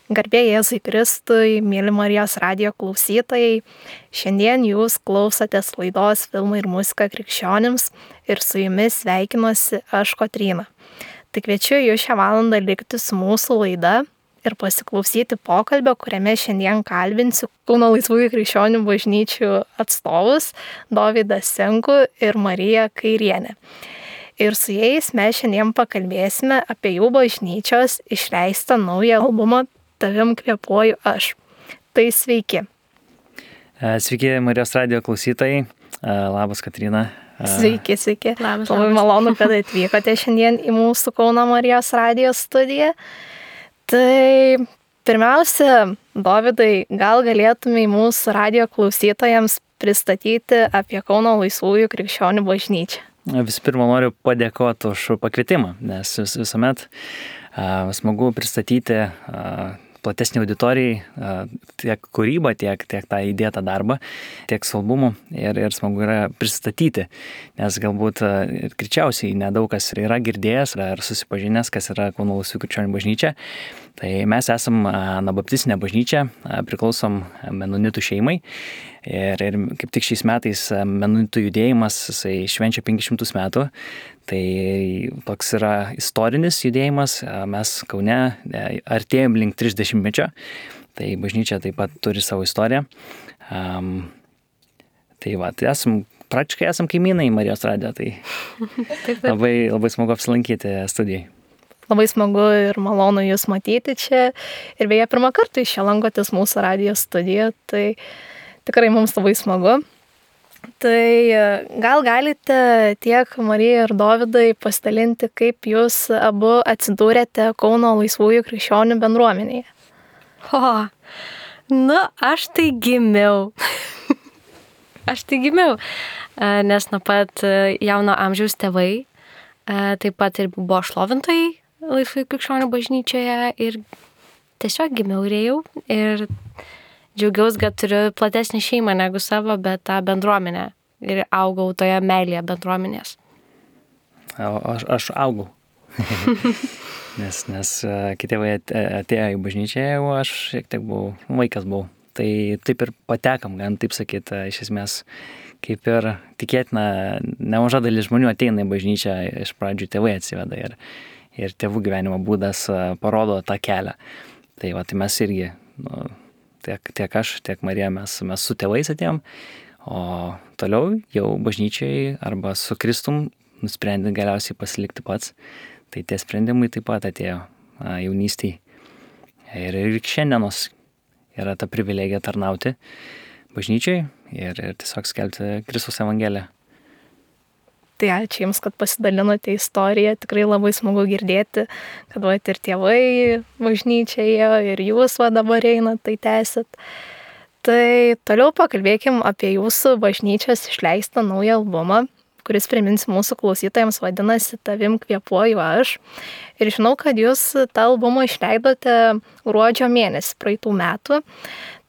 Garbė Jėzui Kristui, mėly Marijos radijo klausytojai, šiandien jūs klausotės laidos Filmai ir muzika krikščionims ir su jumis sveikinuosi aš Kotryna. Tai kviečiu jūs šią valandą likti su mūsų laida ir pasiklausyti pokalbio, kuriame šiandien kalbinsiu Kauno Laisvųjų krikščionių bažnyčių atstovus Dovydą Senkų ir Mariją Kairienę. Ir su jais mes šiandien pakalbėsime apie jų bažnyčios išleistą naują albumą Tavim kvėpuoju aš. Tai sveiki. Sveiki Marijos radijo klausytojai. Labas, Kotryna. Sveiki. Labas. Labai malonu, kad atvykote šiandien į mūsų Kauno Marijos radijo studiją. Tai pirmiausia, Dovydai, gal galėtumai mūsų radijo klausytojams pristatyti apie Kauno Laisvųjų krikščionių bažnyčią? Visų pirma, noriu padėkoti už pakvietimą, nes visuomet smagu pristatyti platesnį auditorijai tiek kūrybą, tiek tą įdėtą darbą, tiek su albumu ir smagu yra pristatyti, nes galbūt ir greičiausiai nedaug kas yra girdėjęs ar susipažinęs, kas yra Kauno Laisvųjų krikščionių bažnyčia. Tai mes esam anabaptistinė bažnyčia, priklausom menonitų šeimai ir kaip tik šiais metais menonitų judėjimas jisai švenčia 500 metų. Tai toks yra istorinis judėjimas, mes Kaune artėjom link 30-mečio, tai bažnyčia taip pat turi savo istoriją. Tai praktiškai esam kaimynai Marijos radijo, tai labai smagu apsilankyti studijai. Labai smagu ir malonu jūs matyti čia. Ir beje, pirmą kartą iš čia lankotės mūsų radijo studijoje, tai tikrai mums labai smagu. Tai gal galite tiek Marija ir Dovydai pasidalinti, kaip jūs abu atsidūrėte Kauno Laisvųjų krikščionių bendruomenėje? Aš tai gimiau. Nes nuo pat jauno amžiaus tėvai taip pat ir buvo šlovintojai Laisvųjų krikščionių bažnyčioje ir tiesiog gimiau ir ėjau ir džiaugiausi, kad turiu platesnį šeimą negu savo, bet tą bendruomenę ir augau toje meilėje bendruomenės. Aš augau, nes kiti tėvai atėjo į bažnyčią, o aš šiek tiek vaikas buvau. Tai taip ir patekam, gan taip sakyti, iš esmės, kaip ir tikėtina, nemaža dalis žmonių ateina į bažnyčią, iš pradžių tėvai atsiveda ir tėvų gyvenimo būdas parodo tą kelią. Tai mes irgi, tiek aš, tiek Marija, mes su tėvais atėjom, o toliau jau bažnyčiai arba su Kristum nusprendė galiausiai pasilikti pats. Tai tie sprendimai taip pat atėjo jaunystėje. Ir šiandienos yra ta privilegija tarnauti bažnyčiai ir tiesiog skelbti Kristaus evangeliją. Tai ačiū Jums, kad pasidalinote istoriją. Tikrai labai smagu girdėti, kad ir tėvai bažnyčioje ir jūs dabar einat, tai tęsit. Tai toliau pakalbėkim apie jūsų bažnyčios išleistą naują albumą, kuris, priminsiu mūsų klausytojams, vadinasi Tavim kvėpuoju aš. Ir žinau, kad jūs tą albumą išleidote gruodžio mėnesį praeitų metų.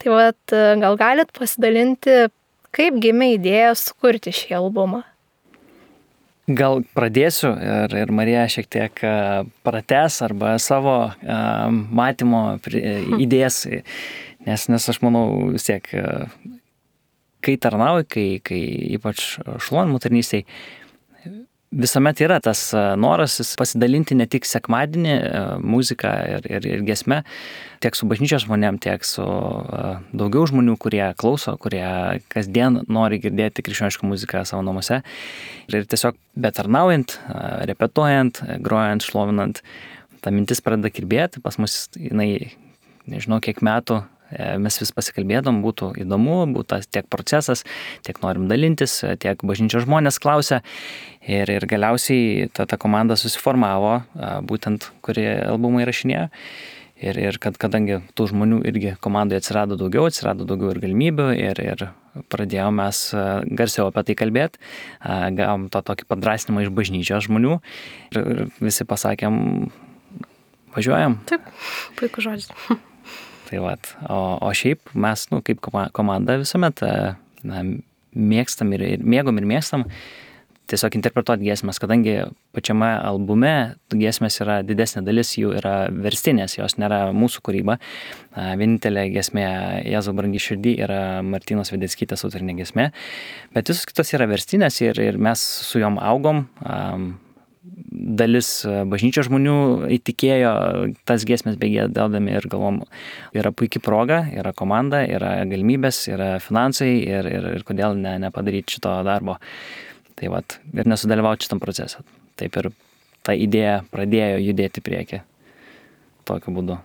Tai gal galit pasidalinti, kaip gimė idėja sukurti šį albumą? Gal pradėsiu ir Marija šiek tiek pratęs arba savo matymo idėjas, nes aš manau vis tiek, kai tarnauji, kai ypač šlovinimo tarnystėj, visuomet yra tas noras pasidalinti ne tik sekmadienį muziką ir giesmę, tiek su bažnyčios žmonėm, tiek su daugiau žmonių, kurie klauso, kurie kasdien nori girdėti krikščionišką muziką savo namuose. Ir tiesiog betarnaujant, repetuojant, grojant, šlovinant, ta mintis pradeda kirbėti. Pas mus, nežinau kiek metų, mes vis pasikalbėdom, būtų įdomu, būtų tiek procesas, tiek norim dalintis, tiek bažnyčios žmonės klausia. Ir galiausiai ta komanda susiformavo, būtent, kurie albumą įrašinėjo. Ir kadangi tų žmonių irgi komandoje atsirado daugiau ir galimybių ir pradėjome mes garsiau apie tai kalbėti, gavom tą tokį padrasnimą iš bažnyčios žmonių ir visi pasakėm, važiuojam. Taip, puikus žodis. Tai o šiaip mes, kaip komanda visuomet mėgstam ir mėgstam tiesiog interpretuoti giesmes, kadangi pačiame albume giesmės yra didesnė dalis, jų yra verstinės, jos nėra mūsų kūryba. Vienintelė giesmė Jėzau brangi širdį yra Martynos Vedeckytės autorinė giesmė, bet visos kitos yra verstinės ir mes su jom augom. Dalis bažnyčios žmonių įtikėjo tas giesmės begiedodami ir galvom, yra puikia proga, yra komanda, yra galimybės, yra finansai ir kodėl nepadaryti šito darbo. Tai vat, ir nesudalyvauti šitam procesą. Taip ir ta idėja pradėjo judėti priekį tokiu būdu.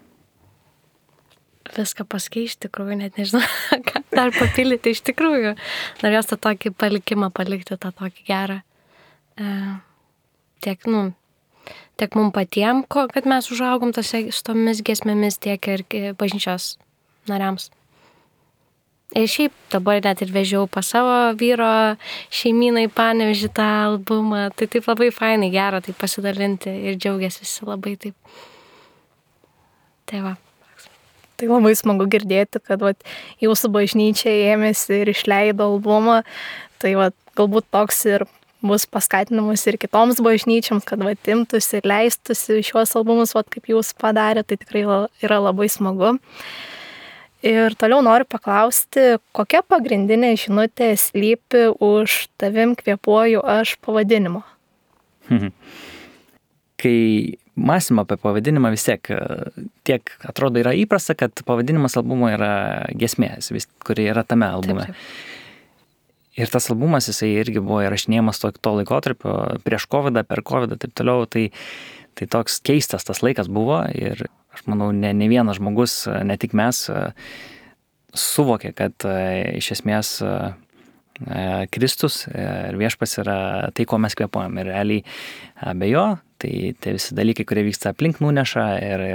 Viską pasakei iš tikrųjų, net nežinau, ką dar papildyti iš tikrųjų. Norėjau tą tokį palikimą palikti, tą tokį gerą. Tiek mums patiems, kad mes užaugom su tomis giesmėmis, tiek ir bažnyčios nariams. Ir šiaip dabar net ir vežiau pas savo vyro šeimyną į Panevėžį tą albumą. Tai taip labai fainai, gera taip pasidalinti ir džiaugiasi visi labai taip. Tai va. Tai labai smagu girdėti, kad jūsų bažnyčia ėmėsi ir išleido albumą. Tai galbūt toks ir bus paskatinamas ir kitoms bažnyčiams, kad imtųsi ir leistųsi šiuos albumus, kaip jūs padarė, tai tikrai yra labai smagu. Ir toliau noriu paklausti, kokia pagrindinė žinutė slypi už Tavim kvėpuoju aš pavadinimo? Kai mąstym apie pavadinimą, vis tiek atrodo yra įprasta, kad pavadinimas albumo yra giesmės, kuri yra tame albume. Taip. Ir tas albumas, jisai irgi buvo įrašinėjamas to laikotarpio, prieš COVID, per COVID, taip toliau, tai toks keistas tas laikas buvo ir aš manau, ne vienas žmogus, ne tik mes, suvokė, kad iš esmės Kristus ir viešpats yra tai, ko mes kvėpuojam. Ir realiai be jo, tai visi dalykai, kurie vyksta aplink, nuneša ir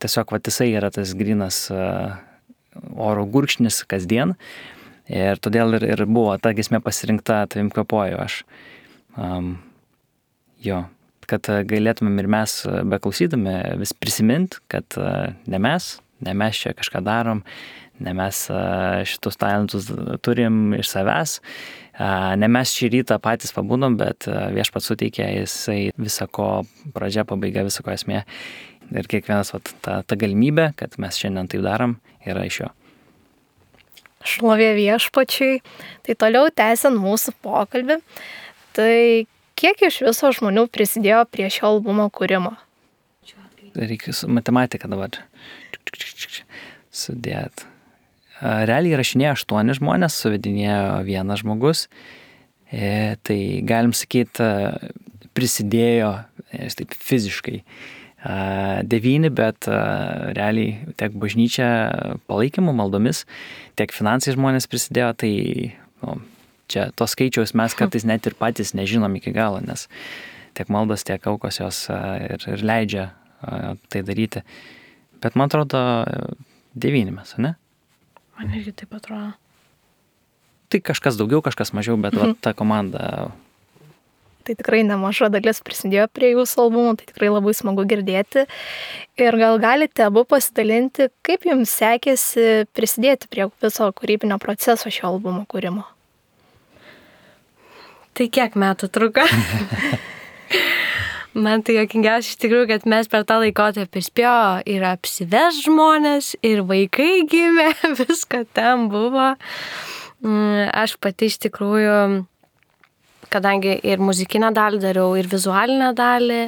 tiesiog jisai yra tas grynas oro gurkšnis kasdien. Ir todėl ir buvo ta giesmė pasirinkta Tavim kvėpuoju aš. Kad galėtumėm ir mes beklausydami vis prisimint, kad ne mes čia kažką darom, ne mes šitus talentus turim iš savęs, ne mes šį rytą patys pabūdom, bet viešpats suteikė, jisai visako pradžia, pabaiga, visako esmė. Ir kiekvienas ta galimybė, kad mes šiandien taip darom, yra iš jo. Šlovė viešpačiui. Tai toliau tęsiant mūsų pokalbį, tai kiek iš viso žmonių prisidėjo prie šio albumo kūrimo? Reikia matematiką dabar sudėti. Realiai įrašinėjo 8 žmonės, suvedinėjo 1 žmogus. Tai galim sakyti, prisidėjo taip fiziškai 9, bet realiai tiek bažnyčia palaikymu, maldomis, tiek finansai žmonės prisidėjo, tai čia tos skaičiaus mes kartais net ir patys nežinom iki galo, nes tiek maldos, tiek aukos jos ir leidžia tai daryti. Bet man atrodo 9 mes, ne? Man irgi taip atrodo. Tai kažkas daugiau, kažkas mažiau, bet ta komanda... Tai tikrai nemaža dalis prisidėjo prie jūsų albumo, tai tikrai labai smagu girdėti. Ir gal galite abu pasidalinti, kaip jums sekėsi prisidėti prie viso kūrybinio proceso šio albumo kūrimo? Tai kiek metų truko? Man tai juokingiausia iš tikrųjų, kad mes per tą laikotarpį spėjo ir apsives žmonės, ir vaikai gimė, visko ten buvo. Aš pati iš tikrųjų, kadangi ir muzikinę dalį dariau, ir vizualinę dalį,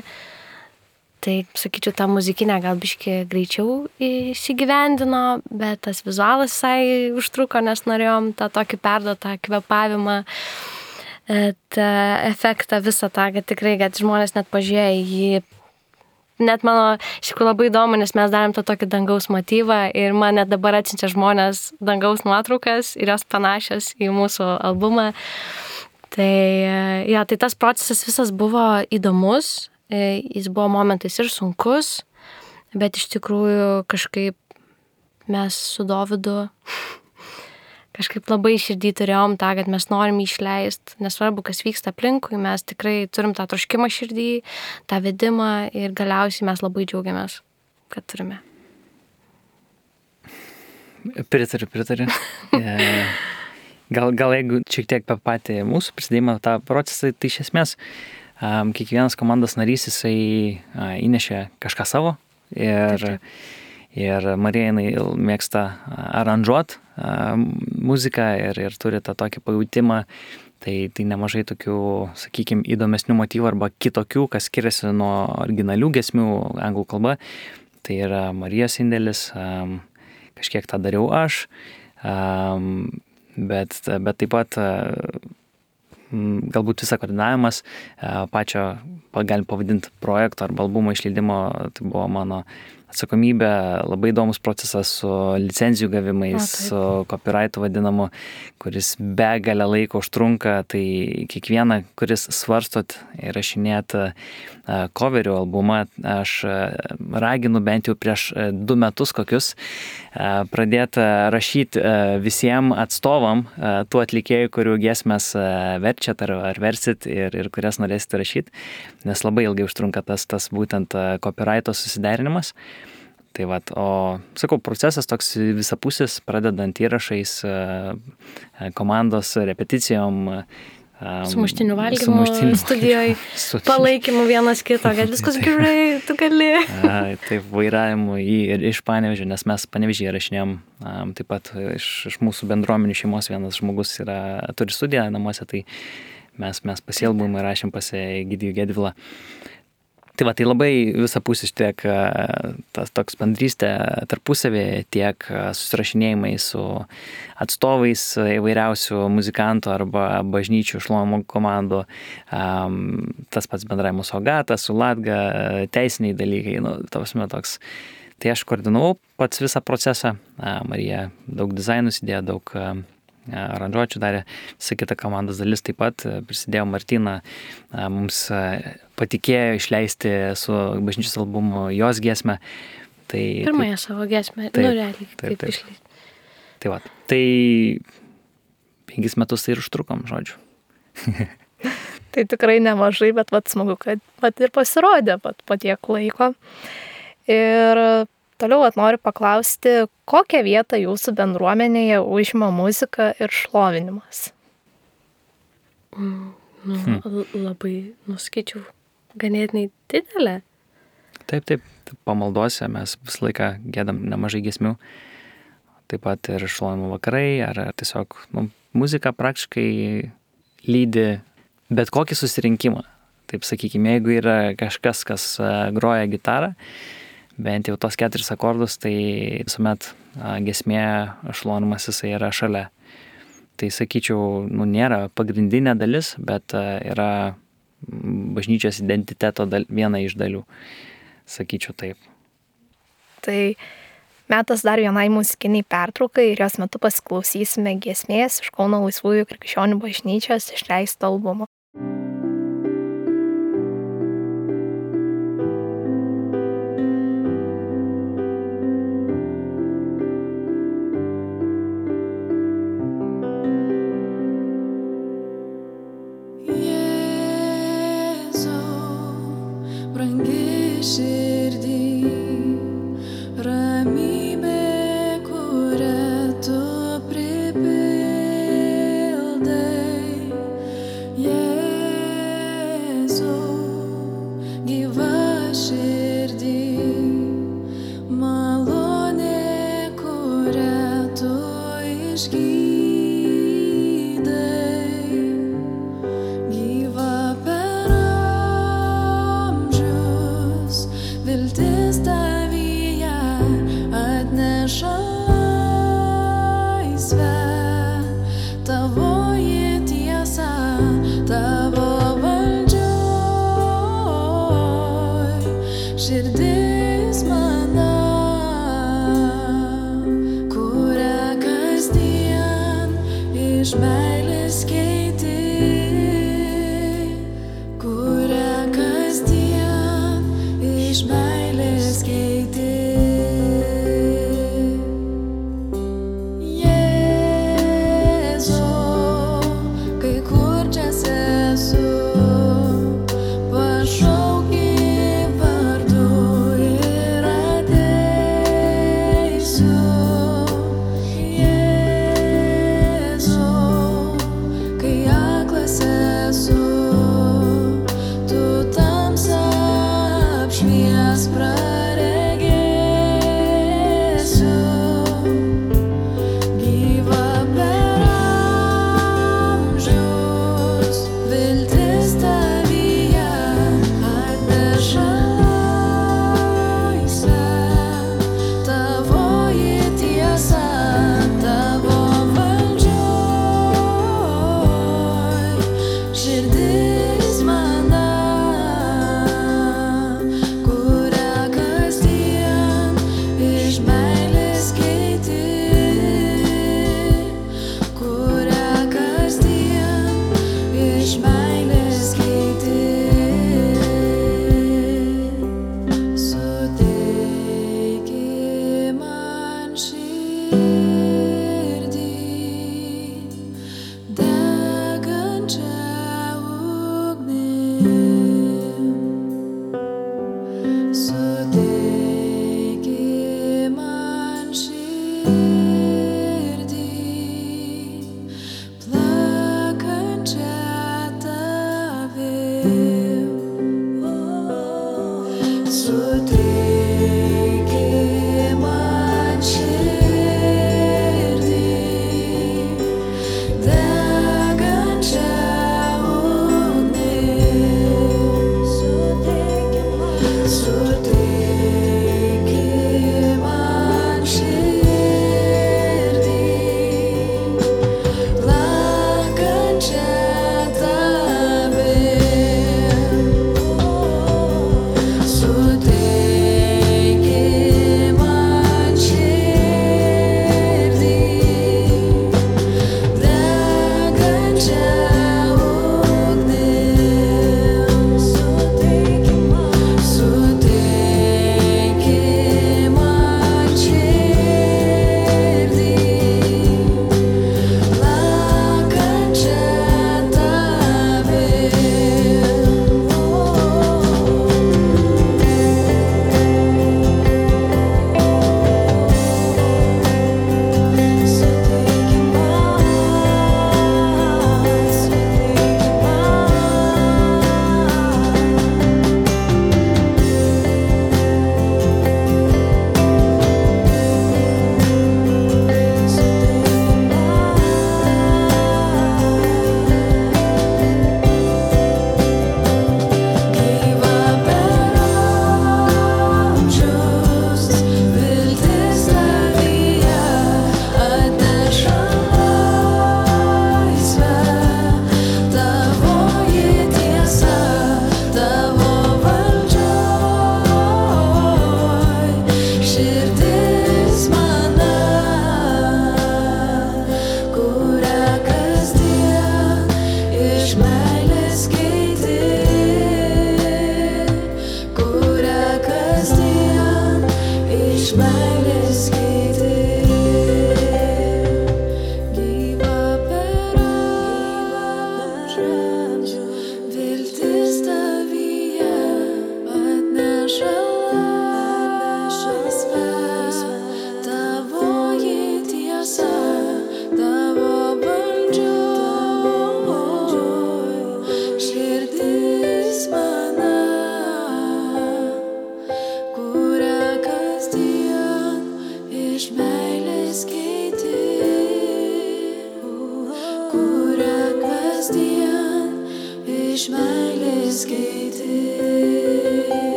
tai, sakyčiau, tą muzikinę gal biškį greičiau įsigyvendino, bet tas vizualas visai užtruko, nes norėjom tą tokį perduotą kvėpavimą, tą efektą visą tą, kad tikrai, kad žmonės net pažiūrėjo jį. Net mano, iš tikrųjų labai įdomu, nes mes darėm tą tokį dangaus motyvą ir man net dabar atsiunčia žmonės dangaus nuotraukas ir jos panašios į mūsų albumą. Tai tas procesas visas buvo įdomus, jis buvo momentais ir sunkus, bet iš tikrųjų kažkaip mes su Dovydu kažkaip labai širdį turėjom tą, kad mes norim išleisti, nesvarbu, kas vyksta aplinkui, mes tikrai turim tą troškimą širdį, tą vedimą ir galiausiai mes labai džiaugiamės, kad turime. Pritariu. Gal jeigu šiek tiek apie patį mūsų prisidėjimą, tą procesą, tai iš esmės kiekvienas komandos narys jisai įnešė kažką savo ir Marija jinai mėgsta aranžuot muziką ir turi tą tokį pajautimą, tai nemažai tokių, sakykime, įdomesnių motyvų arba kitokių, kas skiriasi nuo originalių giesmių anglų kalba. Tai yra Marijos indėlis, kažkiek tą dariau aš, bet taip pat galbūt visą koordinavimas pačio, galim pavadinti projekto arba albumo išleidimo, tai buvo mano atsakomybė, labai įdomus procesas su licenzijų gavimais, su copyrightu vadinamu, kuris begalę laiko užtrunka, tai kiekvieną, kuris svarstot įrašinėt coverių albumą, aš raginu bent jau prieš 2 metus kokius pradėti rašyti visiems atstovam tų atlikėjų, kurių giesmes verčiat ar versit ir kurias norėsite rašyti, nes labai ilgai užtrunka tas būtent copyrighto susiderinimas. Tai vat, o sakau, procesas toks visapusis, pradedant įrašais, komandos repeticijom, sumuštinių valgymo studijoje, palaikymu vienas kito, kad viskas gerai, tu gali. Taip, vairavimu iš Panevėžio, nes mes Panevėžyje rašinėjom, taip pat iš mūsų bendruomenių šeimos vienas žmogus turi studiją namuose, tai mes pasielbum ir rašėm pas Egidijų Gedvilą. Tai va, tai labai visapusis tiek tas toks bendrystė tarpusavį, tiek susirašinėjimai su atstovais įvairiausių muzikantų arba bažnyčių šlovimo komandų, tas pats bendravimas su Agata, su Latga, teisiniai dalykai, toks. Tai aš koordinavau pats visą procesą, Marija daug dizainus įdėjo, daug aranžuočių darė, visą kitą komandos dalis taip pat prisidėjo, Martina mums patikėjo išleisti su bažnyčios albumu jos giesmę. Pirmąją savo giesmę, realiai taip išleisti. Tai va, tai 5 metus tai ir užtrukom, žodžiu. Tai tikrai nemažai, bet smagu, kad ir pasirodė po tiek laiko. Ir toliau noriu paklausti, kokią vietą jūsų bendruomenėje užima muzika ir šlovinimas? Labai, skaičiau, ganėtinai didelė. Taip, pamaldose mes visą laiką giedam nemažai giesmių, taip pat ir šlovinimo vakarai, ar tiesiog muzika praktiškai lydi bet kokį susirinkimą. Taip sakykime, jeigu yra kažkas, kas groja gitarą, bent jau tos 4 akordus, tai visuomet giesmė šlovinimas jisai yra šalia. Tai sakyčiau, nėra pagrindinė dalis, bet yra bažnyčios identiteto viena iš dalių. Sakyčiau taip. Tai metas dar vienai muzikiniai pertraukai ir jos metu pasiklausysime giesmės iš Kauno Laisvųjų krikščionių bažnyčios išleisto albumo. Kuria kasdien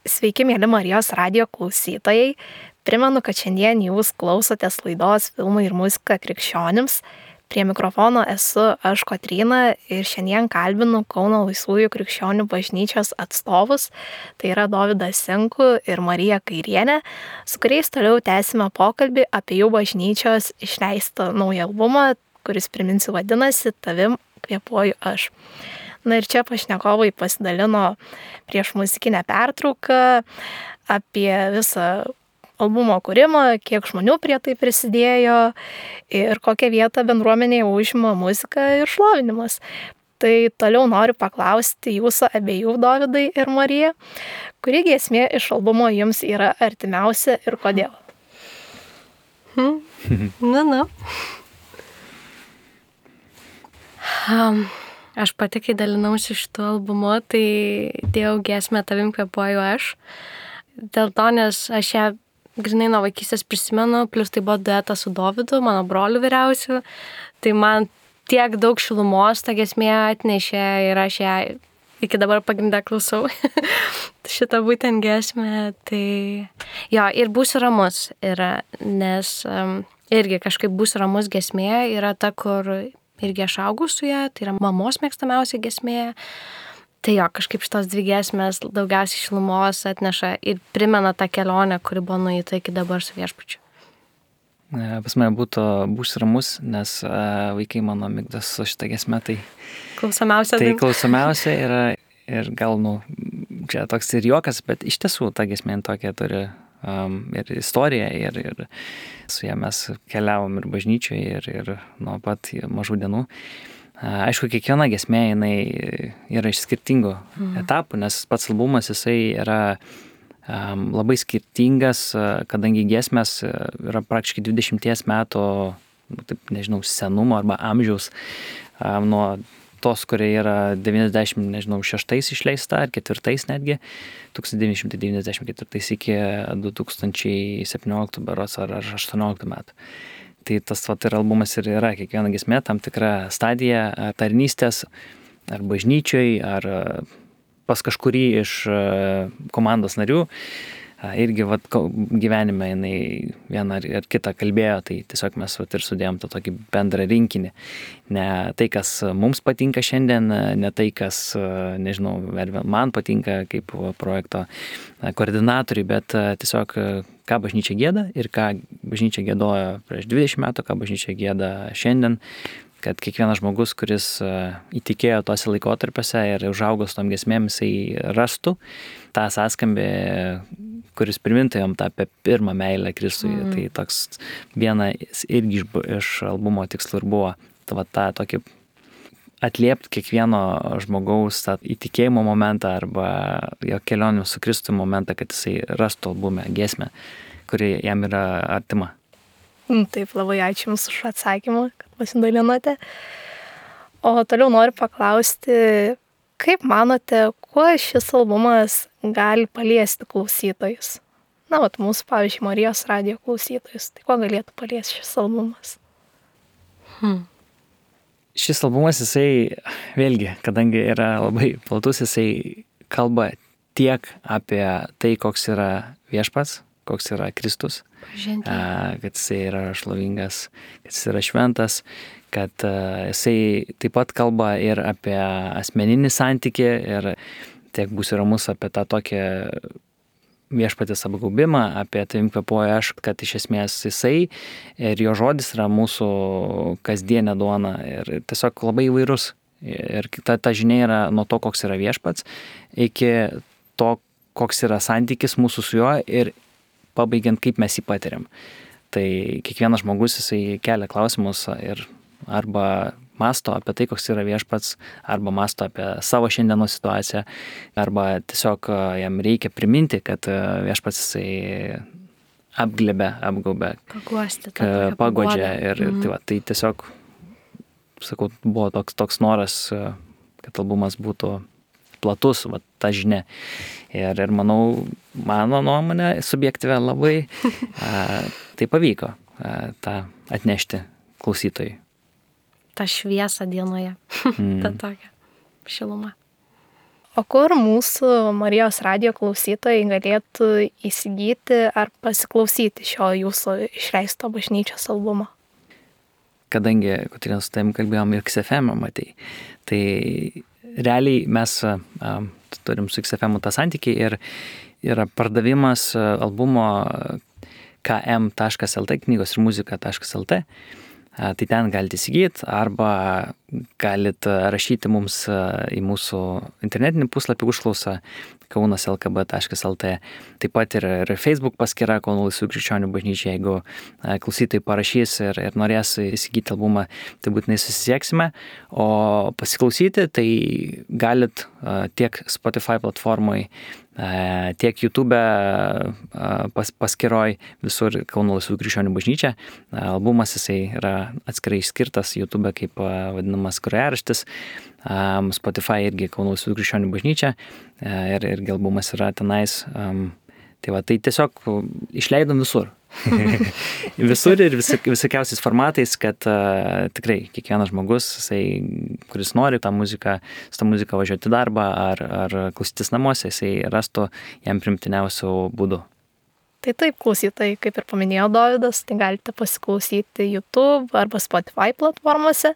Sveiki, mėly Marijos radijo klausytojai. Primenu, kad šiandien jūs klausotės laidos Filmai ir muzika krikščionims. Prie mikrofono esu aš Kotryna ir šiandien kalbinu Kauno Laisvųjų krikščionių bažnyčios atstovus. Tai yra Dovydas Sinku ir Marija Kairienė, su kuriais toliau tęsime pokalbį apie jų bažnyčios išleistą naują albumą, kuris, priminsiu, vadinasi Tavim kvėpuoju aš. Na ir čia pašnekovai pasidalino prieš muzikinę pertrauką apie visą albumo kūrimą, kiek žmonių prie tai prisidėjo ir kokią vietą bendruomenėje užima muzika ir šlovinimas. Tai toliau noriu paklausti jūsų abiejų, Dovydai ir Marija, kuri giesmė iš albumo jums yra artimiausia ir kodėl? Aš pati, kai dalinausi šitu albumu, tai dėjau giesmę Tavim kvėpuoju aš. Dėl to, nes aš ją grinai nuo vaikystės prisimenu, plus tai buvo duetas su Dovydu, mano broliu vyriausiu. Tai man tiek daug šilumos ta giesmė atnešė ir aš ją iki dabar pagrindę klausau. Šitą būtent giesmę. Tai jo, ir Būsiu ramus yra, nes irgi kažkaip Būsiu ramus giesmė yra ta, kur irgi aš augau su ją, tai yra mamos mėgstamiausia giesmė. Tai jo, kažkaip šitos dvi giesmės daugiausiai šilumos atneša ir primena tą kelionę, kuri buvo nueita iki dabar su Viešpačiu. Pas mane būtų Būsiu ramus, nes vaikai mano mėgdas su šitą giesmę, tai klausomiausia. Tai klausomiausia yra ir gal, čia toks ir juokas, bet iš tiesų ta giesmė tokia turi ir istoriją, ir su ją mes keliavom ir bažnyčioje, ir nuo pat mažų dienų. Aišku, kiekviena giesmė jinai yra iš skirtingų etapų, nes pats albumas jisai yra labai skirtingas, kadangi giesmės yra praktiškai 20 metų, taip nežinau, senumo arba amžiaus, nuo tos, kurie yra 96 išleista, ar 4 netgi, 1994 iki 2017 berods ar 18 metų. Tai tas ir albumas ir yra kiekviena giesmė tam tikra stadija tarnystės, ar bažnyčioj, ar pas kažkurį iš komandos narių. Irgi gyvenime jinai vieną ar kitą kalbėjo, tai tiesiog mes ir sudėjom tą tokį bendrą rinkinį. Ne tai, kas mums patinka šiandien, ne tai, kas, nežinau, man patinka kaip projekto koordinatoriai, bet tiesiog ką bažnyčia gieda ir ką bažnyčia giedojo prieš 20 metų, ką bažnyčia gieda šiandien, kad kiekvienas žmogus, kuris įtikėjo tose laikotarpiuose ir užaugo su tom giesmėm, jisai rastų tą sąskambį, kuris primintų jam tą apie pirmą meilę Kristui. Tai toks vienas irgi iš albumo tikslų ir buvo tą tokį atliepti kiekvieno žmogaus tą įtikėjimo momentą arba jo kelionių su Kristui momentą, kad jisai rastų albume giesmę, kuri jam yra artima. Taip, labai ačiū Jums už atsakymą, kad pasidalinote. O toliau noriu paklausti, kaip manote, kuo šis albumas gali paliesti klausytojus? Mūsų, pavyzdžiui, Marijos radijo klausytojus. Tai kuo galėtų paliesti šis albumas? Šis albumas, jisai, vėlgi, kadangi yra labai platus, jisai kalba tiek apie tai, koks yra Viešpats, koks yra Kristus, kad jisai yra šlovingas, kad jisai yra šventas, kad jisai taip pat kalba ir apie asmeninį santykį ir tiek Būsiu ramus apie tą tokią viešpatės apgaubimą, apie tavim kvėpuoju aš, kad iš esmės jisai ir jo žodis yra mūsų kasdienė duona ir tiesiog labai įvairus. Ir ta žinia yra nuo to, koks yra viešpats, iki to, koks yra santykis mūsų su juo ir pabaigiant, kaip mes jį patiriam. Tai kiekvienas žmogus jisai kelia klausimus ir arba masto apie tai, koks yra viešpats, arba masto apie savo šiandienos situaciją, arba tiesiog jam reikia priminti, kad viešpats jisai apgaubia, paguodžia ir tai tiesiog, sakau, buvo toks noras, kad albumas būtų platus, ta žinia. Ir manau, mano nuomonė subjektyvė labai tai pavyko tą atnešti klausytojui. Ta šviesa dienoje, ta tokia šiluma. O kur mūsų Marijos radijo klausytojai galėtų įsigyti ar pasiklausyti šio jūsų išleisto bažnyčios albumo? Kadangi, Kotryna, su tavim kalbėjom ir XFM, matai, tai realiai mes turim su XFM tą santykį ir yra pardavimas albumo km.lt, knygos ir muzika.lt. Tai ten galite įsigyti arba galite rašyti mums į mūsų internetinį puslapį užklausą kaunas.lkb.lt. Taip pat ir Facebook paskyra Kauno Laisvų krikščionių bažnyčia. Jeigu klausytojai parašys ir norės įsigyti albumą, tai būtinai susisieksime. O pasiklausyti tai galit tiek Spotify platformoje, tiek YouTube paskyroj visur Kauno Laisvų krikščionių bažnyčia. Albumas jisai yra atskirai išskirtas YouTube kaip vadinamas grojaraštis. Spotify irgi Kauno Laisvų krikščionių bažnyčia ir albumas yra tenais. Tai tiesiog išleidom visur. Visur ir visokiausiais formatais, kad tikrai kiekvienas žmogus, kuris nori su tą muziką važiuoti į darbą ar klausytis namuose, jisai rastų jam primtiniausių būdų. Tai taip, klausytojai, kaip ir paminėjo Dovydas, tai galite pasiklausyti YouTube arba Spotify platformose,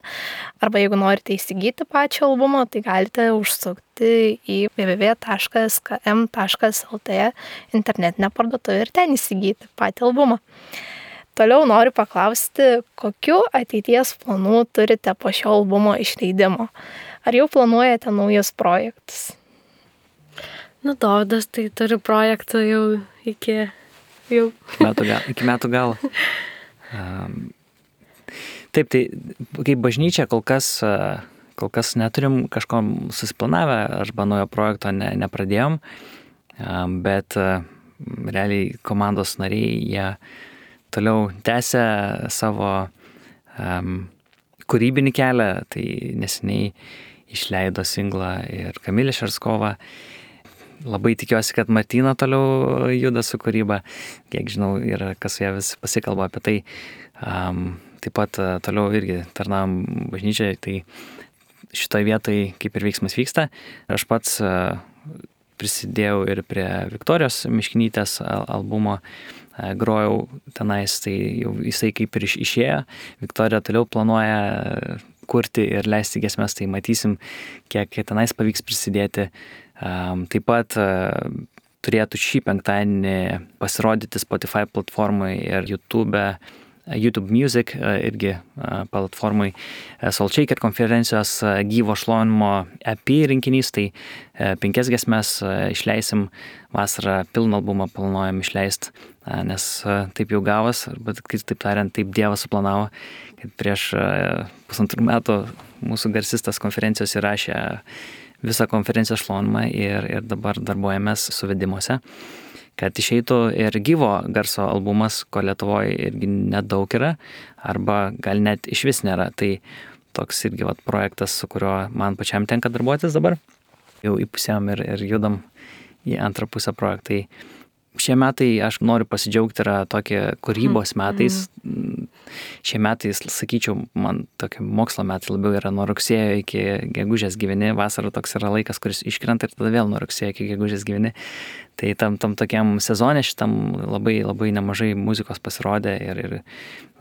arba jeigu norite įsigyti pačią albumą, tai galite užsukti į www.km.lt internetinę parduotuvę ir ten įsigyti patį albumą. Toliau noriu paklausti, kokiu ateities planų turite po šio albumo išleidimo? Ar jau planuojate naujus projektus? Dovydas tai turi projektų jau iki metų galo. Taip, tai kaip bažnyčia kol kas neturim kažko susiplanavę, arba naujo projekto nepradėjom, bet realiai komandos nariai, jie toliau tęsia savo kūrybinį kelią, tai neseniai išleido singlą ir Kamilė Šarskova. Labai tikiuosi, kad Martina toliau juda su kūryba, kiek žinau, ir kas su ją vis pasikalba apie tai. Taip pat toliau irgi tarnavom bažnyčiai, tai šitoje vietoje kaip ir veiksmas vyksta. Aš pats prisidėjau ir prie Viktorijos Miškinytės albumo, grojau tenais, tai jau jisai kaip ir išėjo. Viktorija toliau planuoja kurti ir leisti giesmes, tai matysim, kiek tenais pavyks prisidėti. Taip pat turėtų šį penktadienį pasirodyti Spotify platformai ir YouTube Music irgi platformai Soul Shaker konferencijos gyvo šlovinimo EP rinkinys, tai 5 giesmes išleisim, vasarą pilną albumą planuojam išleisti, nes taip jau gavos, arba taip tariant, taip Dievas suplanavo, kad prieš 1,5 metų mūsų garsistas konferencijos įrašė visą konferencijos šlovinimą ir dabar darbuojamės suvedimuose, kad išeitų ir gyvo garso albumas, ko Lietuvoje irgi nedaug yra, arba gal net iš vis nėra. Tai toks irgi projektas, su kuriuo man pačiam tenka darbuotis dabar. Jau įpusėjom ir judam į antrą pusę projektai. Šie metai, aš noriu pasidžiaugti, yra tokie kūrybos metais. Šie metai, sakyčiau, man tokie mokslo metai labiau yra nuo rugsėjo iki gegužės gyveni. Vasara toks yra laikas, kuris iškrenta ir tada vėl nuo rugsėjo iki gegužės gyveni. Tai tam tokiam sezone šitam labai nemažai muzikos pasirodė ir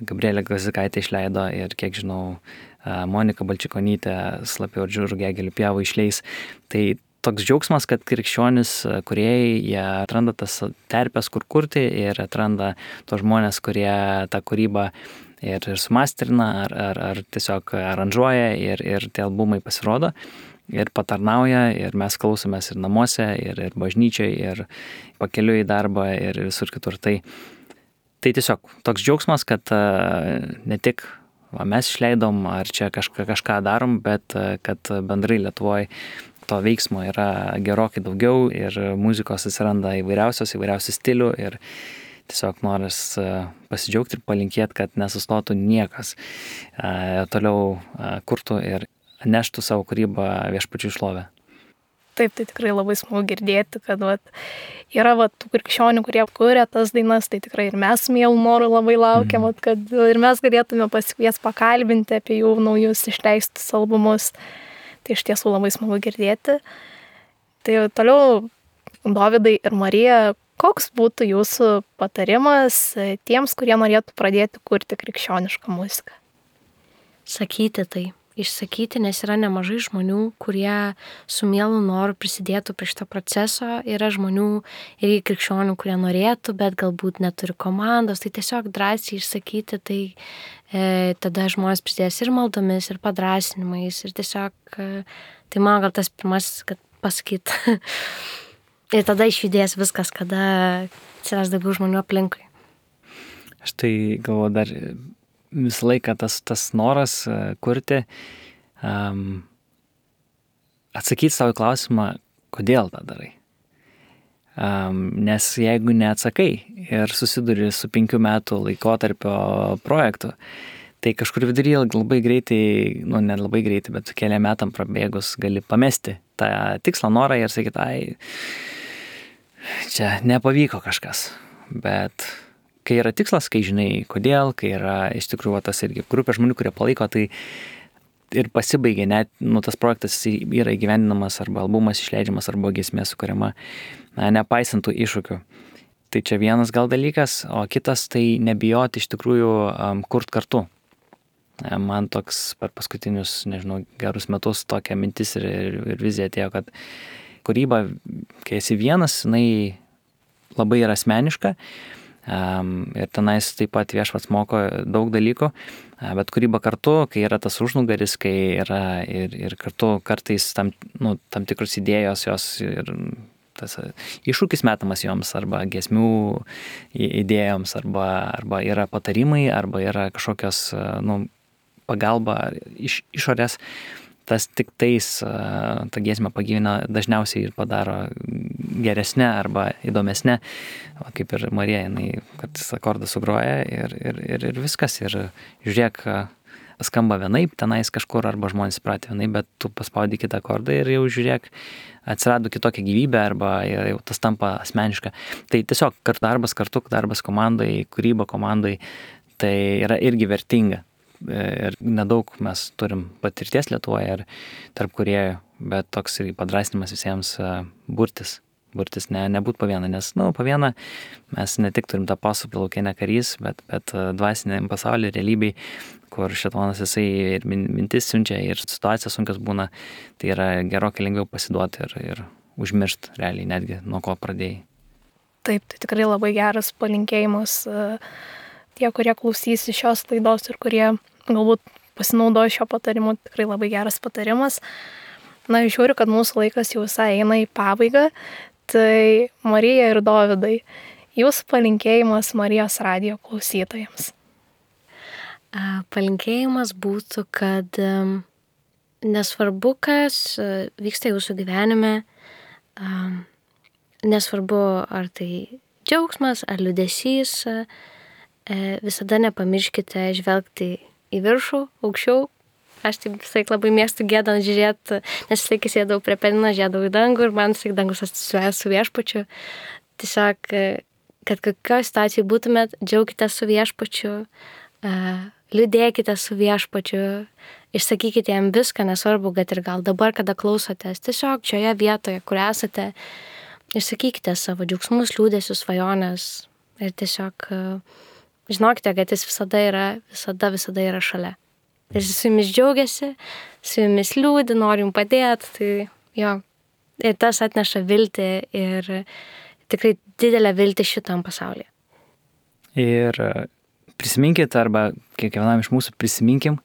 Gabrielė Gazikaitė išleido ir, kiek žinau, Monika Balčikonytė Slapyvardžių Rugiagėlių pievų išleis. Tai toks džiaugsmas, kad krikščionis kūrėjai, jie atranda tas terpės, kur kurti ir atranda tos žmonės, kurie tą kūrybą ir sumasterina, ar tiesiog aranžuoja ir tie albumai pasirodo ir patarnauja ir mes klausomės ir namuose, ir bažnyčiai, ir pakeliui į darbą, ir visur kitur. Tai tiesiog toks džiaugsmas, kad ne tik mes išleidom, ar čia kažką darom, bet kad bendrai Lietuvoje to veiksmo yra gerokai daugiau ir muzikos atsiranda įvairiausių stilių ir tiesiog noras pasidžiaugti ir palinkėti, kad nesustotų niekas, toliau kurtų ir neštų savo kūrybą Viešpačiui šlovę. Taip, tai tikrai labai smagu girdėti, kad yra tų krikščionių, kurie kuria tas dainas, tai tikrai ir mes mielu noru labai laukiam, kad ir mes galėtume pasikviesti pakalbinti apie jų naujus išleistus albumus. Tai iš tiesų labai smagu girdėti. Tai toliau, Dovydai ir Marija, koks būtų jūsų patarimas tiems, kurie norėtų pradėti kurti krikščionišką muziką? Sakyti tai. Išsakyti, nes yra nemažai žmonių, kurie su mielu noru prisidėtų prie šito proceso. Yra žmonių ir krikščionių, kurie norėtų, bet galbūt neturi komandos. Tai tiesiog drąsiai išsakyti, tai tada žmonės prisidės ir maldomis, ir padrasinimais. Ir tiesiog, tai man gal tas pirmasis, kad pasakyt. Ir tada išjudės viskas, kada atsiras daugiau žmonių aplinkui. Aš tai galvoju dar visą laiką tas noras kurti, atsakyti savo klausimą, kodėl tą darai. Nes jeigu neatsakai ir susiduri su 5 metų laikotarpio projektu, tai kažkur vidury labai greitai, ne labai greitai, bet keliam metam prabėgus gali pamesti tą tikslą, norą ir sakyti, čia nepavyko kažkas, bet kai yra tikslas, kai žinai kodėl, kai yra iš tikrųjų tas irgi grupė žmonių, kurie palaiko, tai ir pasibaigia net, tas projektas yra įgyvendinamas arba albumas išleidžiamas arba giesmė sukuriama, nepaisant tų iššūkių. Tai čia vienas gal dalykas, o kitas tai nebijoti iš tikrųjų kurt kartu. Man toks per paskutinius, gerus metus tokia mintis ir vizija atėjo, kad kūryba, kai esi vienas, jinai labai yra asmeniška, ir tenais taip pat Viešpats moko daug dalykų, bet kūryba kartu, kai yra tas užnugaris, kai yra ir kartu kartais tam tikros idėjos jos ir tas iššūkis metamas joms arba giesmių idėjoms arba yra patarimai arba yra kažkokios pagalba iš išorės. Tas tik tais tą giesmę pagyvina dažniausiai ir padaro geresnė arba įdomesnė, kaip ir Marija, jinai, kad akordą sugroja ir viskas, ir žiūrėk, skamba vienaip, tenais kažkur arba žmonės pratė vienaip, bet tu paspaudi kitą akordą ir jau žiūrėk, atsirado kitokia gyvybė arba jau tas tampa asmeniška. Tai tiesiog darbas komandai, kūryba komandai, tai yra irgi vertinga. Ir nedaug mes turim patirties Lietuvoje ir tarp kūrėjų, bet toks ir padrasinimas visiems burtis, nebūt po vieną, nes po vieną mes ne tik turim tą pasaulyje laukinę karys, bet dvasiniam pasaulyje, realybėj, kur šėtonas jisai ir mintis siunčia ir situacija sunkios būna, tai yra gerokai lengviau pasiduoti ir užmiršti realiai netgi nuo ko pradėjai. Taip, tai tikrai labai geras palinkėjimas tie, kurie klausys šios laidos ir kurie galbūt pasinaudojo šio patarimu, tikrai labai geras patarimas. Žiūriu, kad mūsų laikas jau visai eina į pabaigą, tai Marija ir Dovydai, jūsų palinkėjimas Marijos radijo klausytojams. Palinkėjimas būtų, kad nesvarbu, kas vyksta jūsų gyvenime, nesvarbu, ar tai džiaugsmas, ar liūdesys, visada nepamirškite žvelgti į viršų, aukščiau. Aš taip visai labai mėgstu giedant žiūrėti, nes visai sėdau prie pianino, žiūrėdavau į dangų ir man visai dangus asociuoja su Viešpačiu. Tiesiog, kad kokioje situacijoje būtumėt, džiaukitės su Viešpačiu, liūdėkite su Viešpačiu, išsakykite jam viską, nesvarbu, kad ir gal dabar, kada klausotės, tiesiog šioje vietoje, kur esate, išsakykite savo džiaugsmus, liūdesius, svajonės ir tiesiog žinokite, kad jis visada yra šalia. Jis su jumis džiaugiasi, su jumis liūdi, nori jums padėti, tai jo, Ir tas atneša viltį ir tikrai didelę viltį šitam pasaulyje. Ir prisiminkit, arba kiekvienam iš mūsų prisiminkim,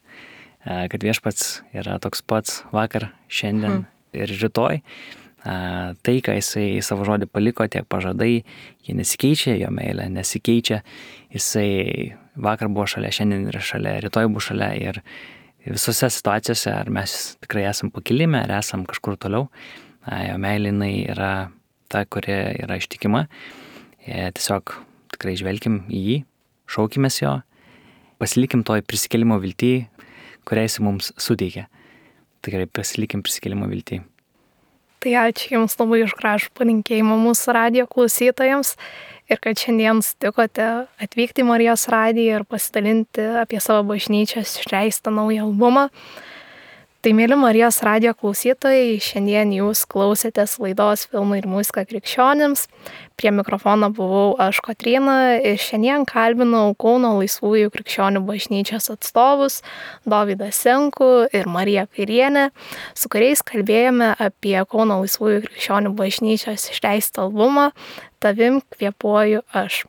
kad Viešpats yra toks pats vakar, šiandien ir rytoj. Tai, ką jisai savo žodį paliko, tiek pažadai, jie nesikeičia, jo meilė nesikeičia. Jisai vakar buvo šalia, šiandien yra šalia, rytoj bus šalia ir visose situacijose, ar mes tikrai esam pakilime, ar esam kažkur toliau, jo meilė jinai yra ta, kuri yra ištikima. Tiesiog tikrai žvelkim į jį, šaukimės jo, pasilikim toj prisikėlimo viltį, kurią jis mums suteikia. Tikrai pasilikim prisikėlimo viltį. Tai ačiū Jums labai už gražų palinkėjimą mūsų radijo klausytojams ir kad šiandien sutikote atvykti į Marijos radiją ir pasidalinti apie savo bažnyčios išleistą naują albumą. Tai mėly Marijos radijo klausytojai, šiandien jūs klausėtės laidos Filmai ir muzika krikščionims. Prie mikrofono buvau aš Kotryna ir šiandien kalbinau Kauno Laisvųjų krikščionių bažnyčios atstovus Dovydą Senkų ir Mariją Kairienę, su kuriais kalbėjome apie Kauno Laisvųjų krikščionių bažnyčios išleistą albumą Tavim kvėpuoju aš.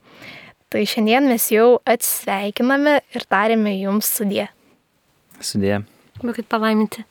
Tai šiandien mes jau atsisveikiname ir tariame jums sudie. Sudie. Būkit palaiminti.